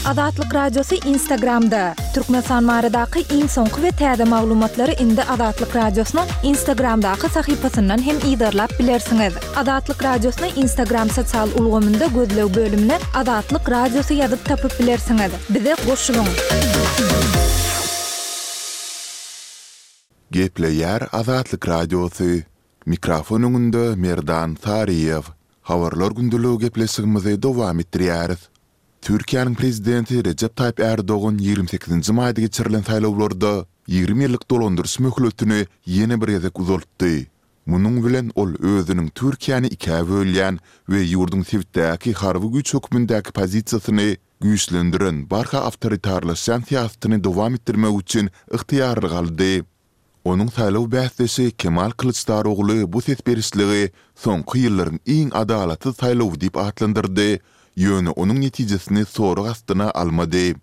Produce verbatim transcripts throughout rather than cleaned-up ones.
Azatlyk Radiosy Instagramda! Türkmenistan baradaky iň soňky we täze maglumatlary indi Azatlyk Radiosynyň Instagramdaky sahypasyndan hem yzarlap bilersiňiz. Azatlyk Radiosyny Instagram sosial ulgamynda gözleg bölümine Azatlyk Radiosy ýazyp tapyp bilersiňiz. Bize goşulyň! Gepleýär Azatlyk Radiosy. Mikrofon öňünde Merdan Saryýew. Habarlar gündeligi gepleşigimizi dowam etdirýäris. Türkiýäniň Prezidenti Rejep Taýyp Ärdogan ýigrimi sekizinji maýda geçirilen saýlawlarda ýigrimi ýyllyk dolandyryş möhletini ýene bir gezek uzaltdy. Munuň bilen ol özüniň Türkiýäni ikä bölýän we ýurduň sebitdäki harby güýç hökmündäki pozisiýasyny güýçlendiren barha awtoritarlaşýan syýasatyny dowam etdirmek üçin ygtyýarlyk aldy. Onuň saýlaw bäsdeşi Kemal Kylyçdarogly bu ses berişligi soňky ýyllaryň iň adalatsyz saýlawy diýip atlandyrdy, ýöne onuň netijesini sorag astyna almady.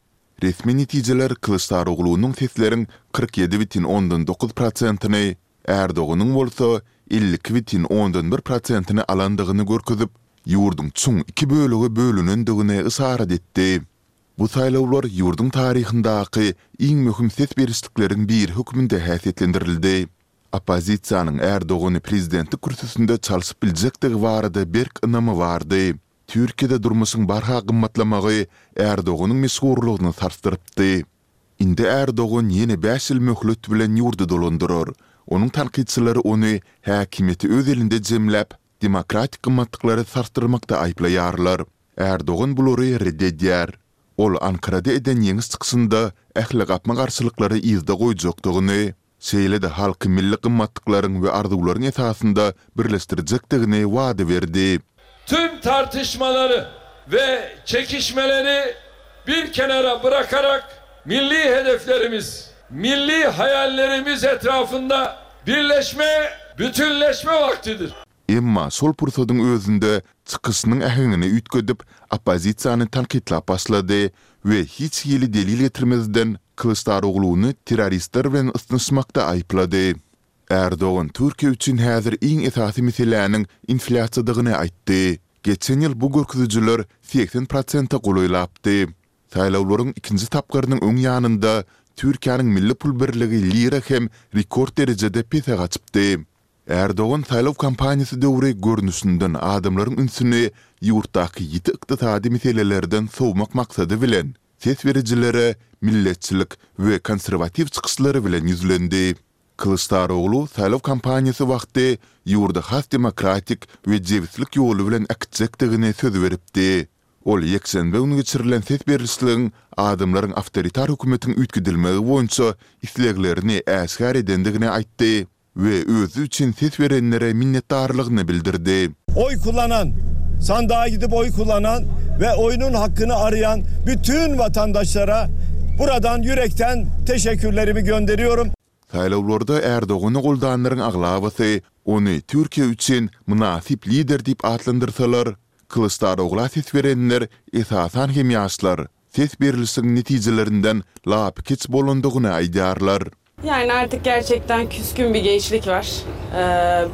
Resmi netijeler Kylyçdaroglunyň sesleriň kyrk ýedi bütin ondan dokuz prosentini, Ärdoganyň bolsa elli iki bütin ondan bir prosentini alandygyny görkezip, ýurduň çuň iki bölege bölünendigini yşarat etdi. Bu saýlawlar ýurduň taryhyndaky iň möhüm ses berişlikleriň biri hökmünde häsiýetlendirildi. Oppozisiýanyň Ärdogany prezidentlik kürsüsinde çalşyp biljekdigi barada berk ynamy bardy. Türkiýede durmuşyň barha gymmatlamagy Ärdoganyň meşhurlygyny sarsdyrypdy. Indi Ärdogan ýene bäş ýyl möhlet bilen ýurdy dolandyrar. Onuň tankytçylary ony häkimiýeti öz elinde jemläp, demokratik gymmatlyklary sarsdyrmakda aýyplaýarlar. Ärdogan bulary ret edýär. Ol Ankarada eden ýeňiş çykyşynda ähli gapma-garşylyklary yzda goýjakdygyny, şeýle-de halky milli gymmatlyklaryň we arzuwlaryň esasynda birleşdirjekdigini wada berdi. Tüm tartışmalary we çekişmeleri bir kenara bırakarak milli hedeflerimiz, milli hayallerimiz etrafında birleşme, bütünleşme vaktidir. Emma şol pursadyň özünde çykyşynyň äheňini üýtgedip, oppozisiýany tankytlap başlady we hiç hili delil getirmezden Kylyçdarogluny terroristler bilen ysnyşmakda aýyplady. Ärdogan Türkiýe üçin häzir iň esasy meseläniň inflýasiýadygyny aýtdy. Geçen ýyl bu görkezijiler segsen prosente golaýlapdy. Saýlawlaryň ikinji tapgyrynyň öň ýanynda Türkiýäniň milli pul birligi lira hem rekord derejede pese gaçypdy. Ärdogan saýlaw kampaniýasy döwri görnüşinden adamlaryň ünsüni ýurtdaky ýiti ykdysady meselelerden sowmak maksady bilen, ses berijilere milletçilik we konserwatiw çykyşlary bilen ýüzlendi. Kylyçdaroglu saýlaw kampaniýasy wagty ýurdy has demokratik we jebislik ýoly bilen äkitjekdigini söz beripdi. Ol ýekşenbe güni geçirilen ses berlişligiň adamlaryň awtoritar hökümetiň üýtgedilmegi boýunça isleglerini äşgär edendigini aýtdy. we özi üçin ses berenlere minnetdarlygyny bildirdi. Oý kullanan, sandyga gidip oý kullanan we oýunun hakkyny araýan bütün watandaşlara buradan ýürekden teşekkürlerimi gönderiyorum. Saýlawlarda Erdogany goldanlaryň aglabasy ony Türkiýe üçin mynasyp lider diýip atlandyrsalar, Kylyçdarogla ses berenler, esasan hem ýaşlar, ses berlişigiň netijelerinden lapykeç bolandygyny aýdýarlar. Yani artık gerçekten küskün bir gençlik var.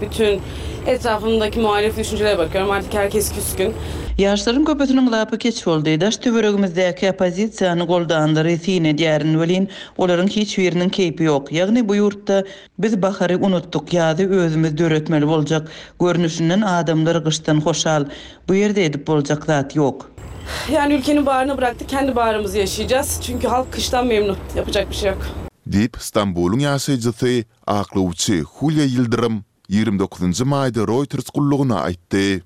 Bütün etrafımdaki muhalif düşüncelere bakıyorum. Artık herkes küskün. Ýaşlaryň köpüsiniň lapy keç boldy. Daş-töweregimizdäki oppozisiýany goldanlary syn edýärin welin, olaryň hiç biriniň keýpi ýok. Ýagny bu ýurtda biz bahary unutdyk, ýazy özümiz döretmeli boljak. Görnüşinden adamlar gyşdan hoşal. Bu ýerde edip boljak zat ýok. Yani ülkenin baharını bıraktık, kendi baharımızı yaşayacağız. Çünkü halk kıştan memnun. Yapacak bir şey yok. Diýip, Stambulyň ýaşaýjysy, aklawçy Hulýa Ýyldyrym ýigrimi dokuzynjy maýda Reuters gullugyna aýtdy.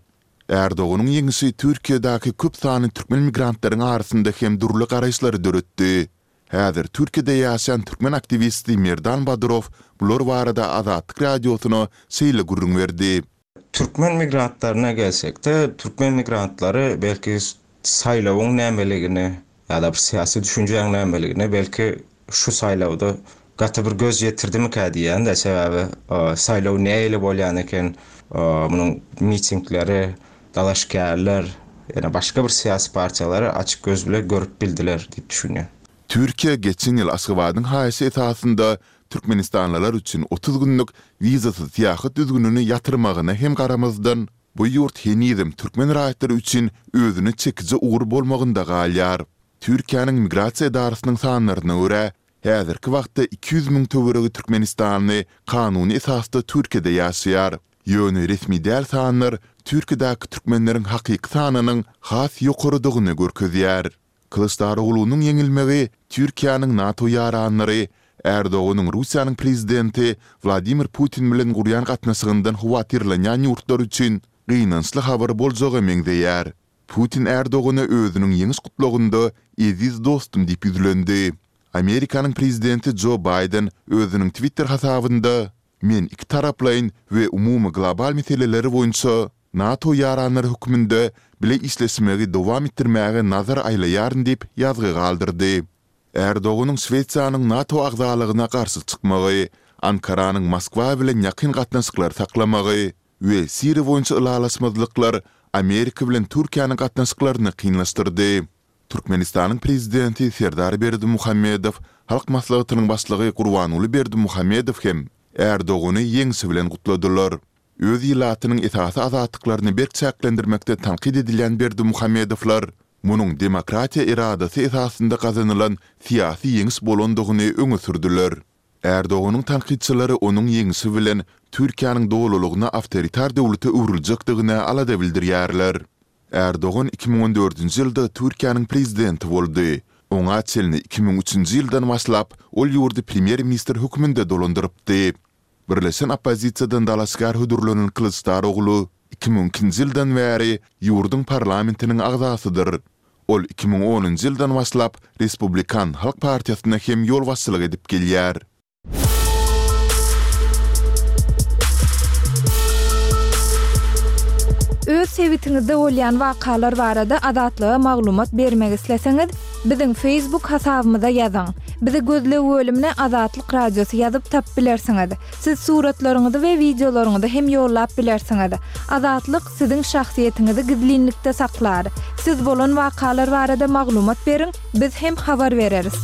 Erdoganyň ýeňişi Türkiýedäki köp sanly türkmen migrantlaryň arasynda hem dürli garaýyşlary döretdi. Häzir Türkiýede ýaşaýan türkmen aktiwisti Merdan Badyrow bular barada Azatlyk Radiosyna şeýle gürrüň berdi. Türkmen migrantlaryna gelsekde, türkmen migrantlary belki saýlawyň nämeligini ýa-da bir syýasy düşünjäň nämeligine belki şu saýlawda gaty bir göz ýetirdimikä diýýän-de, sebäbi saýlaw nähili bolýan eken, munuň mitingleri, dalaşgärler, ýene başga bir syýasy partiýalary açyk göz bile görüp bildiler diýip düşünýän. Türkiýe geçen ýyl Aşgabadyň haýyşy esasynda türkmenistanlylar üçin otuz günlük wizasyz syýahat düzgünini ýatyrmagyna hem garamazdan, bu ýurt henizem türkmen raýatlary üçin özüne çekiji ugur bolmagynda galýar. Türkiýäniň Migrasiýa edarasynyň sanlaryna görä, häzirki wagtda iki ýüz müň töweregi türkmenistanly kanuny esasda Türkiýede ýaşaýar. Ýöne resmi däl sanlar Türkiýedäki türkmenleriň hakyky sanynyň has ýokarydygyny görkezýär. Kylyçdaroglunyň ýeňilmegi Türkiýäniň NATO ýaranlary Erdoganyň Russiýanyň prezidenti Wladimir Putin bilen gurýan gatnaşygyndan howatyrlanýan ýurtlar üçin gynançly habar boljaga meňzeýär. Putin Erdogana özüniň ýeňiş gutlagynda eziz dostum diýip ýüzlendi. Amerikanyň prezidenti Jo Baýden özüniň Twitter hasabynda Men iki taraplaýyn we umumy global meseleleri boýunça NATO ýaranlary hökmünde bile işleşmegi dowam etdirmäge nazar aýlaýaryn diýip ýazgy galdyrdy. Erdoganyň Şwesiýanyň NATO agzalygyna garşy çykmagy, Ankaranyň Moskwa bilen ýakyn gatnaşyklar saklamagy we Siriýa boýunça ylalaşmazlyklar Amerika bilen Türkiýäniň gatnaşyklaryny kynlaşdyrdy. Türkmenistanyň Prezidenti Serdar Berdimuhamedow, Halk Maslahatynyň Başlygy Gurbanguly Berdimuhamedow hem Erdogany ýeňşi bilen gutladylar. Öz ilatynyň esasy azatlyklaryny berk çäklendirmekde tankyt edilýän Berdimuhamedowlar munuň demokratiýa eradasy esasynda gazanylan syýasy ýeňiş bolandygyny öňe sürdüler. Erdoganyň tankytçylary onuň ýeňşi bilen Türkiýäniň dolulygyna awtoritar döwlete öwrüljekdigine alada bildirýärler. Erdogan iki müň on dördünji ýylda Türkiýäniň prezidenti boldy. Oňa çenli iki müň üçünji ýyldan başlap ol ýurdy premýer-ministr hökmünde dolandyrypdy. Birleşen oppozisiýadan dalaşgär hödürlenen Kylyçdaroglu iki müň ikinji ýyldan bäri ýurduň parlamentiniň agzasydyr. Ol iki müň onunjy ýyldan başlap Respublikan halk partiýasyna hem ýolbaşçylyk edip gelýär. Öz sebitiňizde bolýan wakalar barada Azatlyga maglumat bermek isleseňiz, biziň Facebook hasabymyza ýazyň. Bizi gözleg bölümine Azatlyk Radiosy ýazyp tapyp bilersiňiz. Siz suratlaryňyzy we wideolaryňyzy hem ýollap bilersiňiz. Azatlyk siziň şahsyýetiňizi gizlinlikde saklar. Siz bolan wakalar barada maglumat beriň, biz hem habar bereris.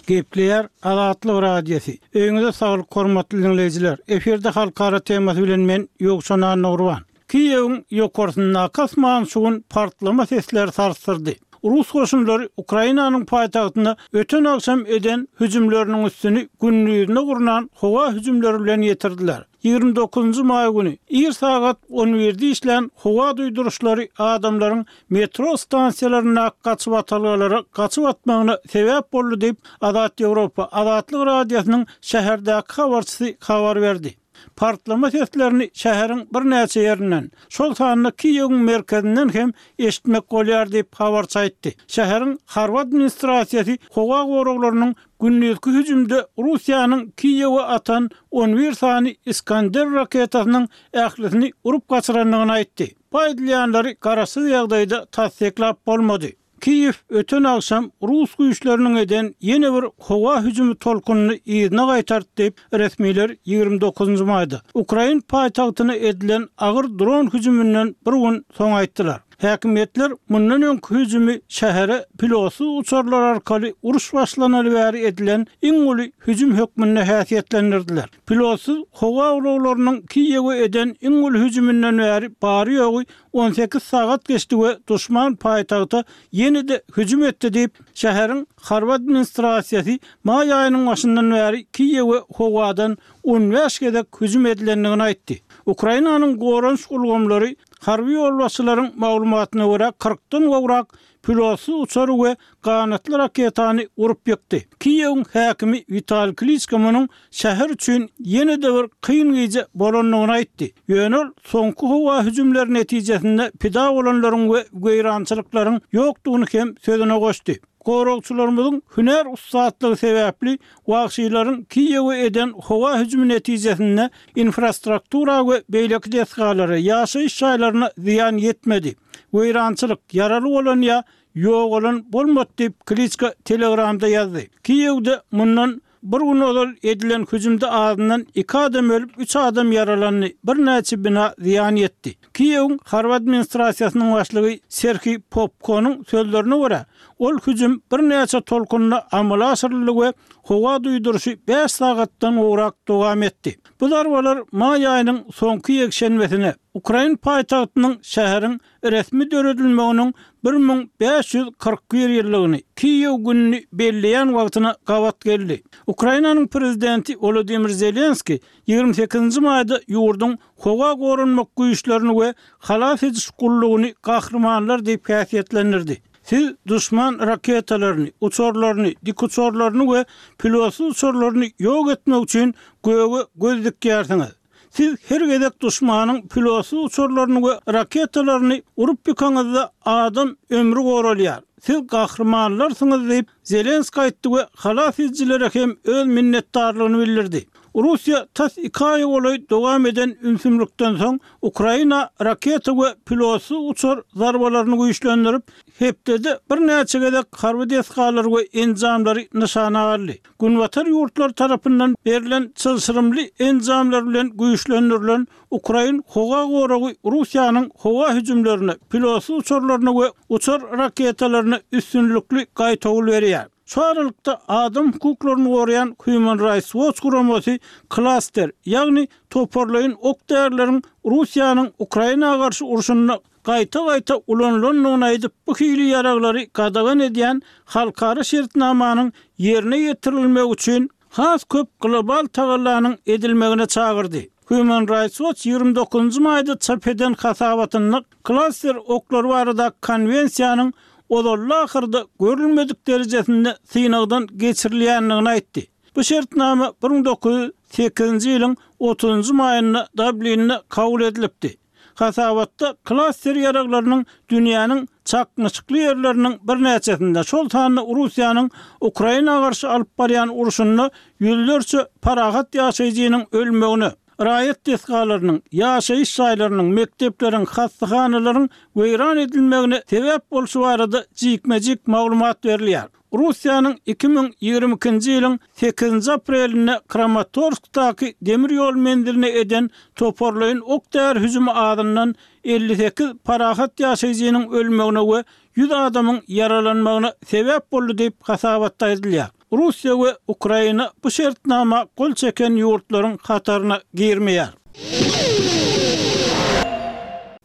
Gepleýär Azatlyk Radiosy. Öýüňize saglyk hormatly dinleýjiler. Efirde halkara temasy bilen men Ýowşan Annagurban. Kiýewiň ýokarsyndaky asman şu gün partlama sesleri sarsdyrdy. Rus goşunlary Ukrainanyň paýtagtyna öten agşam eden hüjümleriniň üstüni gündizine gurnan howa hüjümleri bilen ýetirdiler. Ýigrimi dokuzynjy maý güni ir sagat on birde işlän howa duýduryşlary adamlaryň metro stansiýalarynda gaçyp atalgalara gaçyp atmagyna sebäp boldy diýip Azat Ýewropa Azatlyk Radiosynyň şäherdäki habarçysy habar berdi. Partlama seslerini şäheriň birnäçe ýerinden, şol sanda Kiýewiň merkezinden hem eşitmek bolýar diýip habarçy aýtdy. Şäheriň harby administrasiýasy howa goraglarynyň gündizki hüjümde Russiýanyň Kiýewe atan on bir sany Iskander raketasynyň ählisini urup gaçyrandygyny aýtdy. Bu aýdylýanlary garaşsyz ýagdaýda tassyklap bolmady. Kiýew öten agşam Rus güýçleriniň eden ýene bir howa hüjümi tolkunyny yzyna gaýtardy diýip resmiler ýigrimi dokuzynjy maýda Ukrain paýtagtyna edilen agyr dron hüjüminden bir gün soň aýtdylar. Häkimiýetler mundan öňki hüjümi şähere pilotsyz uçarlar arkaly uruş başlanaly bäri edilen iň uly hüjüm hökmünde häsiýetlendirdiler. Pilotsyz howa ulaglarynyň Kiýewe eden iň uly hüjüminden bäri bary ýogy on sekiz sagat geçdi we duşman paýtagta ýene-de hüjüm etdi diýip, şäheriň harby administrasiýasy maý aýynyň başyndan bäri Kiýewe howadan on bäş gezek hüjüm edilendigini aýtdy. Ukrainanyň goranyş ulgamlary harby ýolbaşçylaryň maglumatyna görä kyrkdan gowrak pilotsyz uçary we ganatly raketany urup ýykdy. Kiýewiň häkimi Wital Kliçko munuň şäher üçin ýene-de bir kyn gije bolandygyny aýtdy. Ýöne ol soňky howa hüjümleri netijesinde pida bolanlaryň we weýrançylyklaryň ýokdugyny hem sözüne goşdy. Goragçylarymyzyň hünär ussatlygy sebäpli wagşylaryň Kiýewe eden howa hüjümi netijesinde infrastruktura we beýleki desgalara, ýaşaýyş jaýlaryna zyýan ýetmedi. Weýrançylyk, ýaraly bolan ýa ýogalan bolmady diýip Kliçko Telegramda ýazdy. Kiýewde mundan bir gün ozal edilen hüjümde azyndan iki adam ölüp, üç adam ýaralandy, birnäçe bina zyýan ýetdi. Kiýewiň harby administrasiýasynyň başlygy Serhiý Popkonyň sözlerine görä, Ol hüjüm birnäçe tolkunda amala aşyryldy we howa duýduryşy bäş sagatdan gowrak dowam etdi. Bu zarbalar maý aýynyň soňky ýekşenbesine, ukrain paýtagtynyň şäheriň resmi döredilmeginiň bir müň bäş ýüz kyrk bir ýyllygyny, Kiýew gününi belleýän wagtyna gabat geldi. Ukrainanyň prezidenti Wolodymyr Zelenskiý ýigrimi sekizinji maýda ýurduň howa goranmak güýçlerini we halas ediş gullugyny gahrymanlar diýip häsiýetlendirdi. Siz duşman raketalaryny, uçarlaryny, dikuçarlaryny we pilotsyz uçarlaryny ýok etmek üçin göge göz dikýärsiňiz. Siz her gezek duşmanyň pilotsyz uçarlaryny we raketalaryny urup ýykaňyzda adam ömri goralýar. Siz gahrymanlarsyňyz diýip, Zelenskiý aýtdy we halas edijilere hem öz minnetdarlygyny bildirdi. Russiýa tas iki aýa golaý dowam eden ümsümlikden soň Ukraina raketa we pilotsyz uçar zarbalaryny güýçlendirip, hepdede birnäçe gezek harby desgalary we enjamlary nyşana aldy. Günbatar ýurtlary tarapyndan berlen çylşyrymly enjamlar bilen güýçlendirilen ukrain howa goragy Russiýanyň howa hüjümlerine, pilotsyz uçarlaryna we uçar raketalaryna üstünlikli gaýtawul berýär. Şu aralykda adam hukuklaryny goraýan Human Rights Watch guramasy klaster, ýagny toparlaýyn ok-därileriň Russiýanyň Ukraina garşy urşunda gaýta-gaýta ulanylandygyny aýdyp, bu hili ýaraglary gadagan edýän halkara şertnamanyň ýerine ýetirilmegi üçin has köp global tagallanyň edilmegine çagyrdy. Human Rights Watch ýigrimi dokuzynjy maýda çap eden hasabatynda klaster oklary baradaky konwensiýanyň ozalda-ahyrda görülmedik derejesinde synagdan geçirilýändigini aýtdy. Bu şertnama bir müň dokuz ýüz sekizinji ýylyň otuzynjy maýynda Dublinde kabul edilipdi. Hasabatda klaster ýaraglarynyň dünýäniň çaknyşykly ýerleriniň birnäçesinde, şol sanda Russiýanyň Ukraina garşy alyp barýan urşunda ýüzlerçe parahat ýaşaýjynyň ölmegine, raýat desgalarynyň, ýaşaýyş jaýlarynyň, mekdepleriň, hassahanalaryň weýran edilmegine sebäp bolşy barada jikme-jik maglumat berilýär. Russiýanyň iki müň ýigrimi ikinji ýylyň sekizinji aprelinde Kramatorskdaky demir ýol menziline eden toparlaýyn ok-däri hüjümi azyndan elli sekiz parahat ýaşaýjynyň ölmegine we ýüz adamyň ýaralanmagyna sebäp boldy diýip hasabatda aýdylýar. Russiýa we Ukraina bu şertnama gol çeken ýurtlaryň hataryna girmeýär.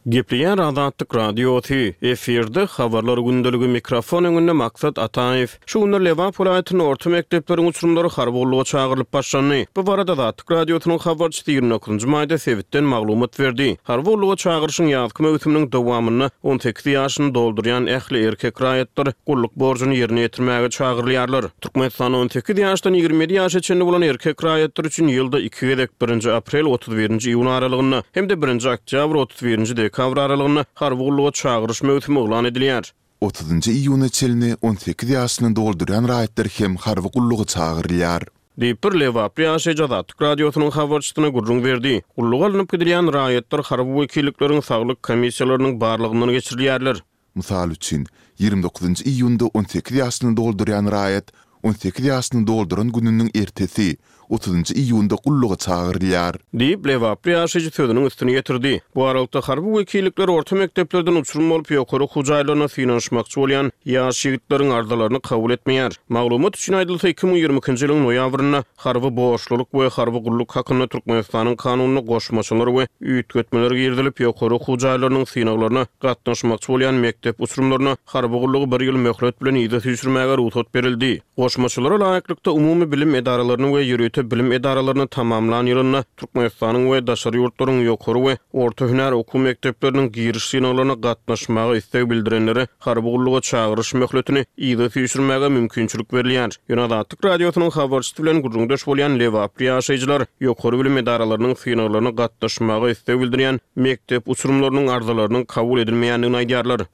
Gepleýär Azatlyk Radiosy, efirde Habarlar gündeligi, mikrofon öňünde Maksat Ataýew. Şu günler Lebap welaýatynda orta mekdepleriň uçurymlary harby gulluga çagyrylyp başlandy. Bu barada Azatlyk Radiosynyň habarçysy ýigrimi dokuzynjy maýda sebitden maglumat berdi. Harby gulluga çagyryşyň ýazky möwsüminiň dowamynda on sekiz ýaşyny doldurýan ähli erkek raýatlar gulluk borjuny ýerine ýetirmäge çagyrylýarlar. Türkmenistanda on sekiz ýaşdan ýigrimi ýedi ýaşa çenli bolan erkek raýatlar üçin ýylda iki gezek, birinji aprel otuz birinji iýun aralygynda hem-de birinji oktýabr otuz birinji dekabr aralygynda harby gulluga çagyryş möwsümi yglan edilýär. Otuzynjy iýuna çenli on sekiz ýaşyny doldurýan raýatlar hem harby gulluga çagyrylýar. Diýip, bir lebaply ýaşaýjy Azatlyk Radiosynyň habarçysyna gürrüň berdi. Gulluga alnyp gidilýän raýatlar harby wekillikleriň saglyk komissiýalarynyň barlagyndan geçirilýärler. Mysal üçin, ýigrimi dokuzynjy iýunda on sekiz ýaşyny doldurýan raýat on sekiz ýaşyny dolduran gününiň ertesi, otuzynjy iýunda gulluga çagyrylýar. Diýip, lebaply ýaşaýjy sözüniň üstüni ýetirdi. Bu aralykda harby wekillikler orta mekdeplerden uçurum bolup ýokary okuw jaýlaryna synanyşmakçy bolýan ýaş ýigitleriň arzalaryny kabul etmeýär. Maglumat üçin aýdylsa, iki müň ýigrimi ikinji ýylyň noýabrynda harby borçlulyk we harby gulluk hakynda Türkmenistanyň kanunyna goşmaçalar we üýtgetmeler girizilip, ýokary okuw jaýlarynyň synaglaryna gatnaşmakçy bolýan mekdep uçurumlaryna harby gullugy bir ýyl möhlet bilen yza süýşürmäge rugsat berildi. Goşmaçalara laýyklykda umumy bilim edaralaryny we ýörite bilim edaralaryny tamamlan ýylynda Türkmenistanyň we daşary ýurtlaryň ýokary we orta hünär okuw mekdepleriniň giriş synaglaryna gatnaşmaga isleg bildirenlere harby gulluga çagyryş möhletini yza süýşürmäge mümkinçilik berilýär. Ýöne Azatlyk Radiosynyň habarçysy bilen gürrüňdeş bolýan lebaply ýaşaýjylar ýokary bilim edaralarynyň synaglaryna gatnaşmaga isleg bildirýän mekdep uçurumlarynyň arzalarynyň kabul edilmeýändigini aýdýarlar.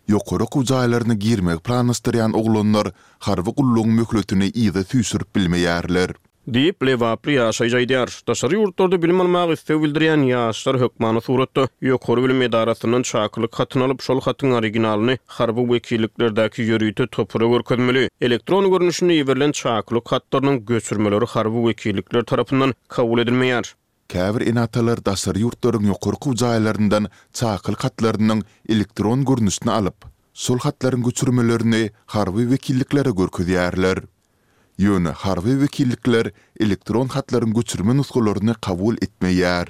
Ýokary okuw jaýlaryna girmegi planlaşdyrýan oglanlar harby gullugyň möhletini yza süýşürip bilmeýärler. Diýip, lebaply ýaşaýjy aýdýar. Daşary ýurtlarda bilim almaga isleg bildirýän ýaşlar hökmany suratda ýokary bilim edarasyndan çakylyk hatyny alyp, şol hatyň originalyny harby wekilliklerdäki ýörite topara görkezmeli. Elektron görnüşinde iberilen çakylyk hatlarynyň göçürmeleri harby wekillikler tarapyndan kabul edilmeýär. Käbir ene-atalar daşary ýurtlaryň ýokary okuw jaýlaryndan çakylyk hatlarynyň elektron görnüşini alyp, Şol hatlaryň göçürmelerini harby wekilliklere görkezýärler. Ýöne harby wekillikler elektron hatlaryň göçürme nusgalaryny kabul etmeýär.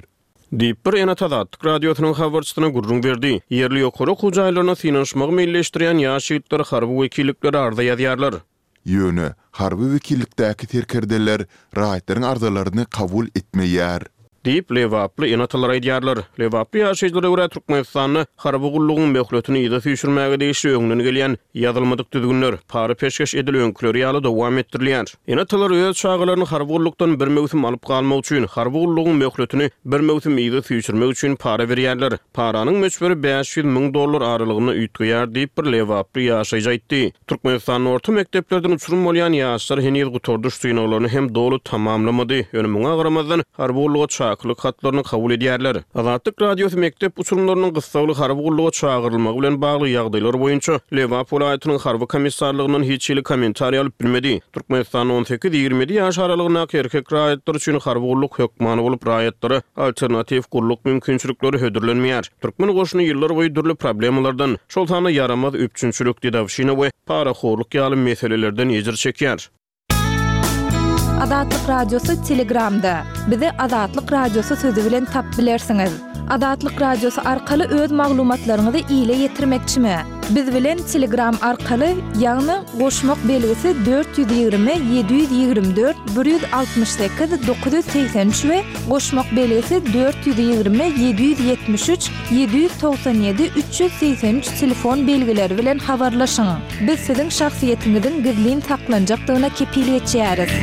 Diýip, bir ene-ata Azatlyk Radiosynyň habarçysyna gürrüň berdi. Ýerli ýokary okuw jaýlaryna synanyşmagy meýilleşdirýän ýaş ýigitler harby wekilliklere arza ýazýarlar. Ýöne harby wekillikdäki serkerdeler raýatlaryň arzalaryny kabul etmeýär. Diýip, lebaply ene-atalar aýdýarlar. Lebaply ýaşaýjylara görä, Türkmenistanda harby gullugyň möhletini yza süýşürmäge degişli öňden gelýän ýazylmadyk düzgünler, para-peşgeş edil öňküleri ýaly dowam etdirilýär. Ene-atalar öz çagalaryny harby gullukdan bir möwsüm alyp galmak üçin, harby gullugyň möhletini bir möwsüm yza süýşürmek üçin para berýärler. Paranyň möçberi bäş ýüz müň dollar aralygynda üýtgeýär diýip, bir lebaply ýaşaýjy aýtdy. Türkmenistanda orta mekdeplerden uçurym bolýan ýaşlar heniz gutardyş synaglaryny hem doly tamamlamady. Ýöne muňa garamazdan, harby gulluga çakylyk hatlaryny kabul edýärler. Azatlyk Radiosy mekdep uçurymlarynyň gyssagly harby gulluga çagyrylmagy bilen bagly ýagdaýlar boýunça Lebap welaýatynyň harby komissarlygyndan hiç hili kommentariý alyp bilmedi. Türkmenistanda on sekiz-ýigrimi ýedi ýaş aralygyndaky erkek raýatlar üçin harby gulluk hökmany bolup, raýatlara alternatiw gulluk mümkinçilikleri hödürlenmeýär. Türkmen goşuny ýyllarboýy dürli problemalardan, şol sanda ýaramaz üpjünçilik, dedowşina we parahorluk ýaly meselelerden ejir çekýär. Azatlyk Radiosy Telegramda. Bizi Azatlyk Radiosy sözi bilen tap bilersiňiz. Azatlyk Radiosy arkaly öz maglumatlaryňyzy ile ýetirmekçimi? Biz bilen Telegram arkaly, ýagny goşmak belgisi dört ýüz ýigrimi ýedi ýüz ýigrimi dört bir ýüz altmyş sekiz dokuz ýüz segsen üç we goşmak belgisi dört ýüz ýigrimi ýedi ýüz ýetmiş üç ýedi ýüz togsan ýedi üç ýüz segsen üç telefon belgileri bilen habarlaşyň. Biz siziň şahsyýetiňiziň gizlin saklanjakdygyna kepil geçýäris.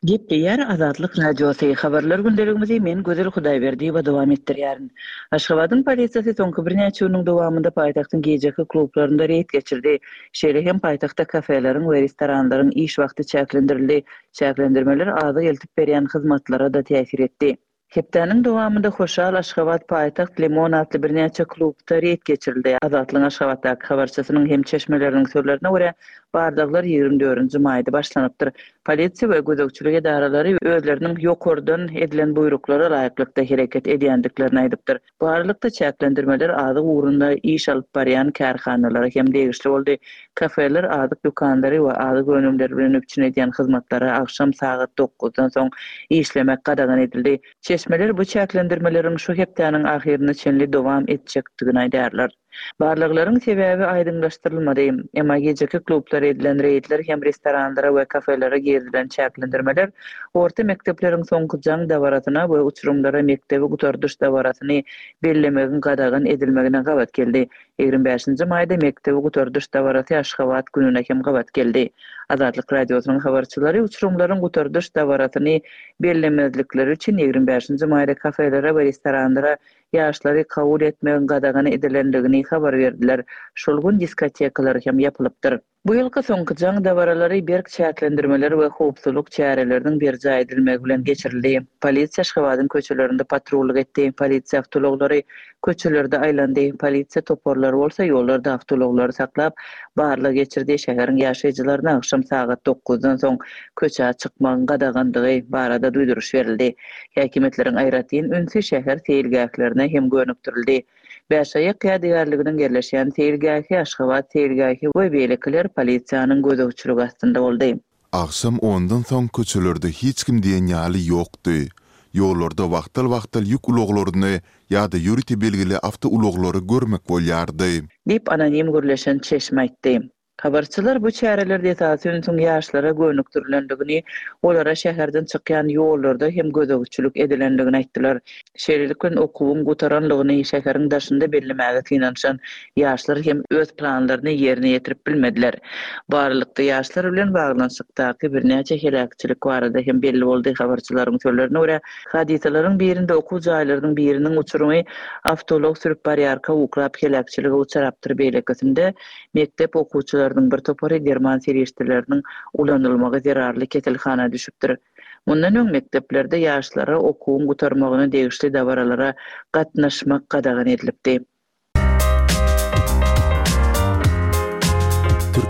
Gepleýär Azatlyk Radiosy, Habarlar gündeligimizi men Gözel Hudaýberdiýewa dowam etdirýärin. Aşgabadyň polisiýasy soňky birnäçe günüň dowamynda paýtagtyň gijeki klublarynda reýd geçirdi. Şeýle hem paýtagtda kafeleriň we restoranlaryň iş wagty çäklendirildi. Çäklendirmeler azyk eltip berýän hyzmatlara-da täsir etdi. Hepdäniň dowamynda Hoşal, Aşgabat, Paýtagt, Limon atly birnäçe klubda reýd geçirildi. Azatlygyň Aşgabatdaky habarçysynyň hem çeşmeleriniň sözlerine görä, barlaglar ýigrimi dördünji maýda başlanypdyr. Polisiýa we gözegçilik edaralary özleriniň ýokardan edilen buýruklara laýyklykda hereket edýändiklerini aýdypdyr. Bu aralykda çäklendirmeler azyk ugrunda iş alyp barýan kärhanalara hem degişli boldy. Kafeler, azyk dükanlary we azyk önümleri bilen üpjün edýän hyzmatlara agşam sagat dokuzdan soň işlemek gadagan edildi. Çeşmeler bu çäklendirmeleriň şu hepdäniň ahyryna çenli dowam etjekdigini aýdýarlar. Barlaglaryň sebäbi aýdyňlaşdyrylmady. Emma gijeki klublara edilen reýdler hem restoranlara we kafelere girizilen çäklendirmeler orta mekdepleriň soňky jaň dabarasyna we uçurymlara mekdebi gutardyş dabarasyny bellemegiň gadagan edilmegine gabat geldi. Ýigrimi bäşinji maýda mekdebi gutardyş dabarasy Aşgabat gününe hem gabat geldi. Azatlyk Radiosynyň habarçylary uçurymlaryň gutardyş dabarasyny bellemezlikleri üçin ýigrimi bäşinji maýda kafelere we restoranlara ýaşlary kabul etmegiň gadagan edilendigini habar berdiler. Şol gün diskotekalar hem ýapylypdyr. Bu ýylky soňky jaň dabaralary berk çäklendirmeler we howpsuzlyk çäreleriniň berjaý edilmegi bilen geçirildi. Polisiýa Aşgabadyň köçelerinde patrullyk etdi. Polisiýa awtoulaglary köçelerde aýlandy. Polisiýa toparlary bolsa ýollarda awtoulaglary saklap, barlag geçirdi. Şäheriň ýaşaýjylaryna agşam sagat dokuzdan soň köçä çykmagyň gadagandygy barada duýduryş berildi. Häkimiýetleriň aýratyn ünsi şäher seýilgählerine hem gönükdirildi. Bäşaýak ýadygärliginiň ýerleşýän seýilgähi, Aşgabat seýilgähi we beýlekiler polisiýanyň gözegçiligi astynda boldy. Agşam ondan soň köçelerde hiç kim diýen ýaly ýokdy. Ýollarda wagtal-wagtal ýük ulaglaryny ýa-da ýörite belgili awtoulaglary görmek bolýardy. Diýip, anonim gürleşen çeşme aýtdy. Habarçylar bu çärelerde esasy ünsüň ýaşlara gönükdirilendigini, olara şäherden çykýan ýollarda hem gözegçilik edilendigini aýtdylar. Şeýlelik bilen okuwyň gutaranlygyny şäheriň daşynda bellemäge synanyşan ýaşlar hem öz planlaryny ýerine ýetirip bilmediler. Bu aralykda ýaşlar bilen baglanyşykdaky birnäçe heläkçilik barada hem belli boldy. Habarçylaryň sözlerine görä, hadysalaryň birinde okuw jaýlarynyň biriniň uçurymy awtoulag sürüp barýarka uklap heläkçilige uçrapdyr, beýlekisinde mekdep okuwçylarynyň bir topary derman serişdeleriniň ulanylmagy zerarly keselhana düşüpdir. Mundan öň mekdeplerde ýaşlara okuwyň gutarmagyna degişli dabaralara gatnaşmak gadagan edilipdi.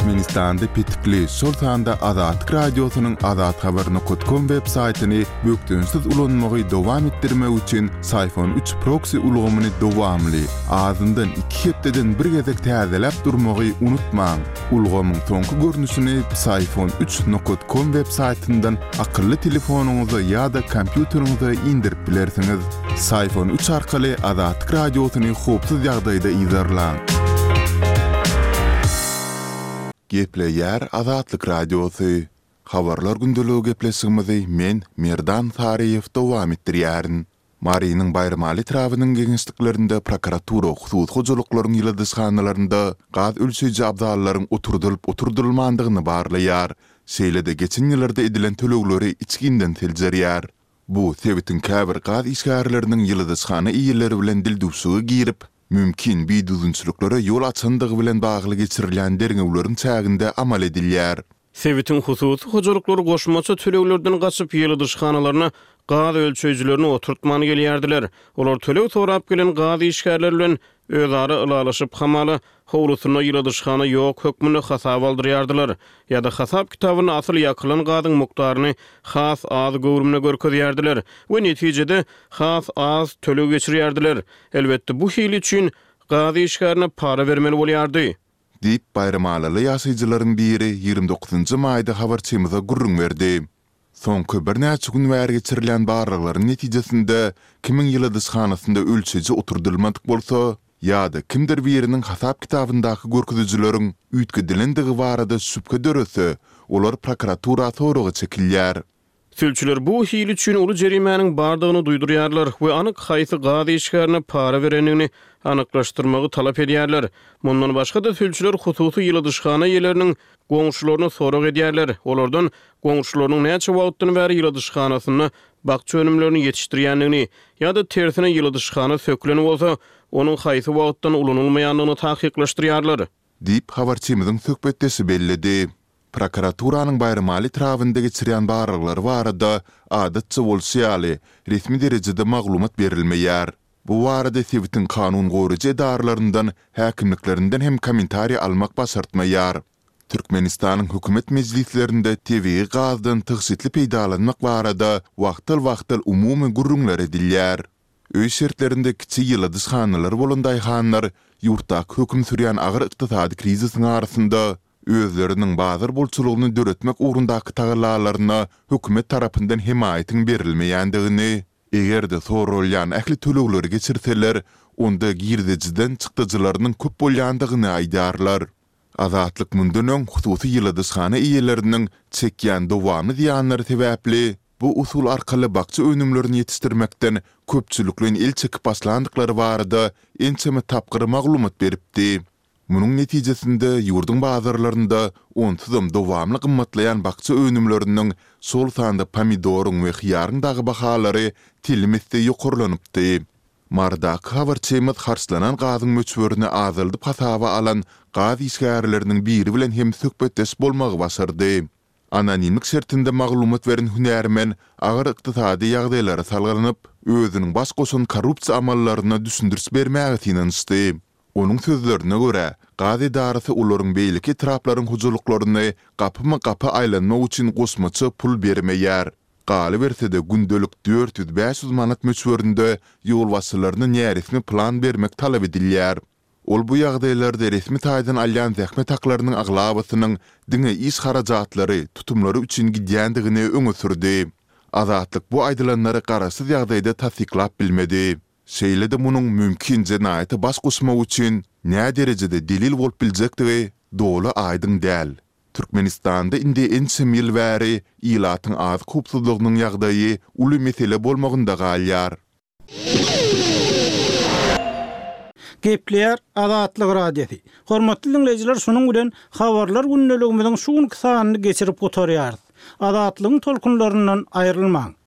Türkmenistanda petikli, şol sanda Azatlyk Radiosynyň azathabar nokat kom web saýtyny bökdençsiz ulanmagy dowam etdirmek üçin Syfon üç proksi ulgamyny dowamly, azyndan iki hepdeden bir gezek täzeläp durmagy unutmaň. Ulgamyň soňky görnüşini Psiphon üç nokat kom web saýtyndan akylly telefonyňyza ýa-da kompýuteriňize indirip bilersiňiz. Psiphon üç arkaly Azatlyk Radiosyny howpsuz ýagdaýda yzarlaň. Gepleýär Azatlyk Radiosy. Habarlar gündeligi gepleşigimizi men, Merdan Saryýew dowam etdirýärin. Marynyň Baýramaly etrabynyň geňeşliklerinde prokuratura hususy hojalyklaryň ýyladyşhanalarynda gaz ölçeýji abzallaryň oturdylyp-oturdylmandygyny barlaýar, şeýle-de geçen ýyllarda edilen tölegleri içginden seljerýär. Bu sebitiň käbir gaz işgärleriniň ýyladyşhana eýeleri bilen dildüwşüge girip, mümkin bidüzgünçiliklere ýol açandygy bilen bagly geçirilýän derňewleriň çäginde amal edilýär. Sebitiň hususy hojalyklary goşmaça töleglerden gaçyp, ýyladyşhanalaryna gaz ölçeýjilerini oturtman gelýärdiler. Olar töleg sorap gelen gaz işgärleri bilen özara ylalaşyp, hamala, howlusynda ýyladyşhana ýok hökmünde hasap aldyrýardylar. Ýa-da hasap kitabynda asyl ýakylan gazyň mukdaryny has az göwrümde görkezýärdiler we netijede has az töleg geçirýärdiler. Elbetde, bu hili üçin gaz işgärine para bermeli bolýardy. Diýip, baýramalyly ýaşaýjylaryň biri ýigrimi dokuzynjy maýda habarçymyza gürrüň berdi. Soňky birnäçe gün bäri geçirilýän barlaglaryň netijesinde, kimiň ýyladyşhanasynda ölçeýji oturdylmadyk bolsa ýa-da kimdir biriniň hasap kitabyndaky görkezijileriň üýtgedilendigi barada şübhe dörese, olar prokuratura soraga çekilýär. Sülçüler bu hil üçin uly jerimäniň bardygyny duýdurýarlar we anyk haýsy gaz işgärine para berendigini anyklaşdyrmagy talap edýärler. Mundan başga-da, sülçüler hususy ýyladyşhana eýeleriniň goňşularyny sorag edýärler. Olardan goňşularynyň näçe wagtdan bäri ýyladyşhanasynda bakja önümlerini ýetişdirýändigini ýa-da tersine ýyladyşhana sökülen bolsa, onuň haýsy wagtdan ulanylmaýandygyny takyklaşdyrýarlar. Diýip, habarçymyzyň söhbetdeşi belledi. Prokuraturanyň Baýramaly etrabynda geçirýän barlaglary barada, adatça bolşy ýaly, resmi derejede maglumat berilmeýär. Bu barada sebitiň kanun goraýjy edaralaryndan, häkimliklerinden hem kommentariý almak başartmaýar. Türkmenistanyň hökümet mejlislerinde tebigy gazdan tygşytly peýdalanmak barada wagtal-wagtal umumy gürrüňler edilýär. Öý şertlerinde kiçi ýyladyşhanalary bolan daýhanlar ýurtdaky höküm sürýän agyr ykdysady krizisiň arasynda özleriniň bazar bolçulygyny döretmek ugrundaky tagallalaryna hökümet tarapyndan hemaýatyň berilmeýändigini, eger-de soralýan ähli tölegleri geçirseler, onda girdejiden çykdajylarynyň köp bolýandygyny aýdýarlar. Azatlyk mundan öň hususy ýyladyşhana eýeleriniň çekýän dowamly zyýanlary sebäpli bu usul arkaly bakja önümlerini ýetişdirmekden köpçülikleýin el çekip başlandyklary barada ençeme tapgyr maglumat beripdi. Munuň netijesinde ýurduň bazarlarynda onsuzam dowamly gymmatlaýan bakja önümleriniň, şol sanda pomidoryň we hyýaryň dagy bahalary telim esse ýokarlanypdy. Marydaky habarçymyz harçlanan gazyň möçberini azaldyp hasaba alan gaz işgärleriniň biri bilen hem söhbetdeş bolmagy başardy. Anonimlik şertinde maglumat beren hünärmen agyr ykdysady ýagdaýlara salgylanyp, özüniň baş goşan korrupsiýa amallaryna düşündiriş bermäge synanyşdy. Onuň sözlerine görä, gaz edarasy olaryň beýleki etraplaryň hojalyklaryny gapyma-gapy aýlanmak üçin goşmaça pul bermeýär. Galyberse-de, gündelik dört ýüz-bäş ýüz manat möçberinde ýolbaşçylaryna näresmi plan bermek talap edilýär. Ol bu ýagdaýlarda resmi taýdan alýan zähmet haklarynyň aglabasynyň diňe iş harajatlary, tutumlary üçin gidýändigini öňe sürdi. Azatlyk bu aýdylanlary garaşsyz ýagdaýda tassyklap bilmedi. Şeýle-de munuň mümkin jenaýata baş goşmak üçin näderejede delil bolup biljekdigi doly aýdyň däl. Türkmenistanda indi ençeme ýyl bäri ilatyň azyk howpsuzlygynyň ýagdaýy uly mesele bolmagynda galýar. Gepleýär Azatlyk Radiosy. Hormatly diňleýjiler, şunuň bilen Habarlar gündeligimiziň şu günki sanyny geçirip gutarýarys. Azatlygyň tolkunlaryndan aýrylmaň!